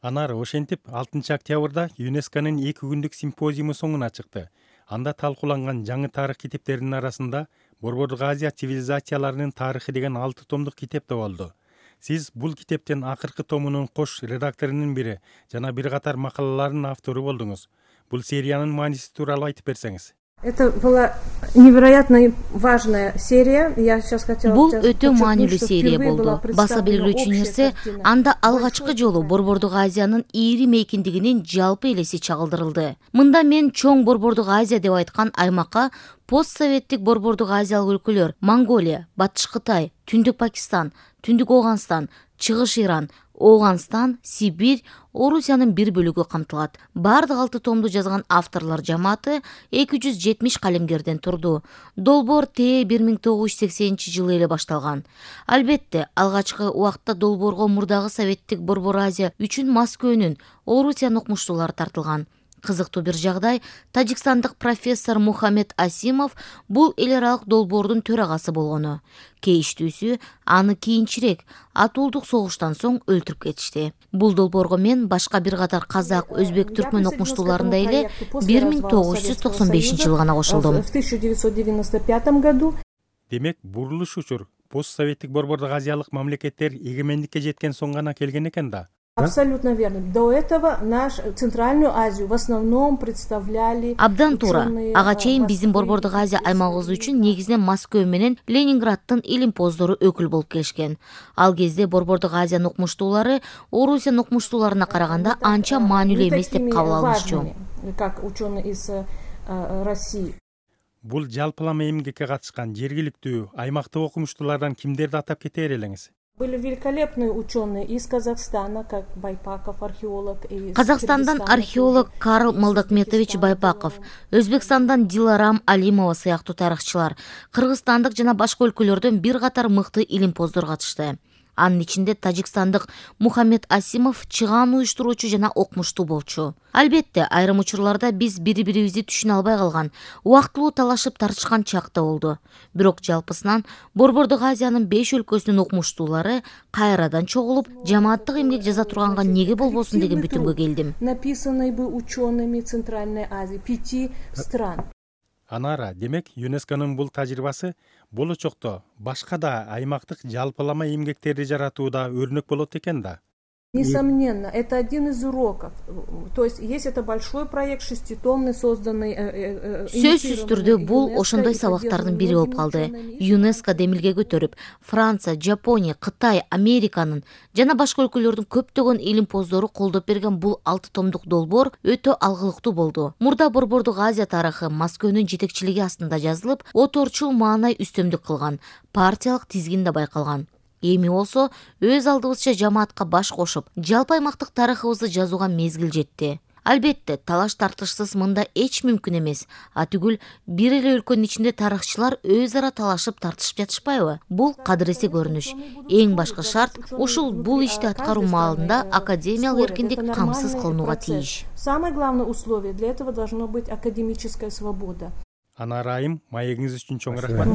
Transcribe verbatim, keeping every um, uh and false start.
Анар ошентип алтынчы октябрда ЮНЕСКОнун эки күндүк симпозиуму соңуна чыкты. Анда талкууланган жаңы тарых китептеринин арасында Борбордук Азия цивилизацияларынын тарыхы деген алты томдук китеп да болду. Сиз бул китептин акыркы томунун кош редакторунун бири жана бир катар макалалардын автору болдуңуз. Бул сериянын мааниси тууралуу айтып берсеңиз. Это была невероятно важная серия. Я сейчас хотела Бул өтө маанилүү серия болду. Баса белгилүүчү нерсе, анда алгачкы жолу Борбордук Азиянын ири мейкиндигинин жалпы элеси чагылдырылды. Мында мен чоң Борбордук Азия деп айткан аймакка постсоветтик Борбордук Азиялык өлкөлөр Монголия, Батыш Кытай, Түндүк Пакистан, Түндүк Оогандстан, Чыгыш Иран, Оогандстан, Сибирь, Орусиянын бир бөлүгү камтылат. Бардык алты томду жазган авторлор жамааты эки жүз жетимиш калемгерден турду. Долбоор Т бир миң тогуз жүз сексенинчи жылы эле башталган. Албетте, алгачкы убакта долбоорго мурдагы советтик Борбор Азия үчүн Москвөнүн, Орусиянын окумуштуулары тартылган. Кызыктуу бир жагдай, тажикстандык профессор Мухаммед Асимов бул эл аралык долбоордун төрагасы болгону. Кейиштүүсү, аны кийинчерээк атуулдук согуштан соң өлтүрүп кетишти. Бул долбоорго мен башка бир катар казак, өзбек, түркмөн окумуштууларындай эле бир миң тогуз жүз токсон бешинчи жылы гана кошулдум. В тысяча девятьсот девяносто пятом году. Демек, бурулуш учур постсоветтик Борбордук Азиялык мамлекеттер эгемендикке жеткен соң гана келген экен да. Абсолютно верно. До этого наш Центральную Азию в основном представляли Абдан туура. Ага чейин биздин Борбордук Азия аймагыбыз үчүн негизинен Москва менен Ленинграддын илимпоздору өкүл болуп келишкен. Ал кезде Борбордук Азиянын окумуштуулары Орусиянын окумуштууларына караганда анча маанилүү эмес деп кабыл алынчу. Как ученые из России. Бул жалпылама эмгекке катышкан жергиликтүү, аймактык окумуштуулардан кимдерди атап кетер элеңиз? Были великолепные ученые из Казахстана, как Байпаков, археолог. Казахстандан археолог Карл Молдокметович Байпаков, Өзбекстандан Диларам Алимова сыяктуу тарыхчылар, кыргызстандык жана башка өлкөлөрдөн бир катар мыкты илимпоздор катышты. Анын ичинде тажикстандык Мухаммед Асимов чыгаан уюштуруучу жана окумуштуу болчу. Албетте, айрым учурларда биз бири-бирибизди түшүнө албай калган, убактылуу талашып тартышкан чак да болду. Бирок жалпысынан Борбордук Азиянын беш өлкөсүнүн окумуштуулары кайрадан чогулуп, жамааттык эмгек жаза турганга неге болбосун деген бүтүмгө келдим. Написанный бы учеными Центральной Азии, пяти стран. Анара, демек, ЮНЕСКонун бул тажрыйбасы болочокто башка да аймактык жалпылама эмгектерди жаратууда өрнөк болот экен да. Несомненно, это один из уроков. То есть есть это большой проект шеститомный, созданный. Сөзсүз түрдө бул ошондой сабактардын бири болуп калды. ЮНЕСКо демилге көтөрүп, Франция, Жапония, Кытай, Американын жана башка өлкөлөрдүн көптөгөн илимпоздору колдоп берген бул алты томдук долбоор өтө алгылыктуу болду. Мурда Борбордук Азия тарыхы Москвөнүн жетекчилиги астында жазылып, оторчул маанай үстөмдүк кылган, партиялык тизгин да байкалган. Эми болсо өз алдыбызча жамаатка баш кошуп, жалпы аймактык тарыхыбызды жазууга мезгил жетти. Албетте, талаш тартышсыз мында эч мүмкүн эмес. А түгүл бир эле өлкөнүн ичинде тарыхчылар өз ара талашып тартышып жатышпайбы? Бул кадыресе көрүнүш. Эң башкы шарт ушул бул ишти аткаруу маалында академиялык эркиндик камсыз кылынууга тийиш. Самое главное условие для этого должно быть академическая свобода. Анара айым, маегиңиз үчүн чоң рахмат.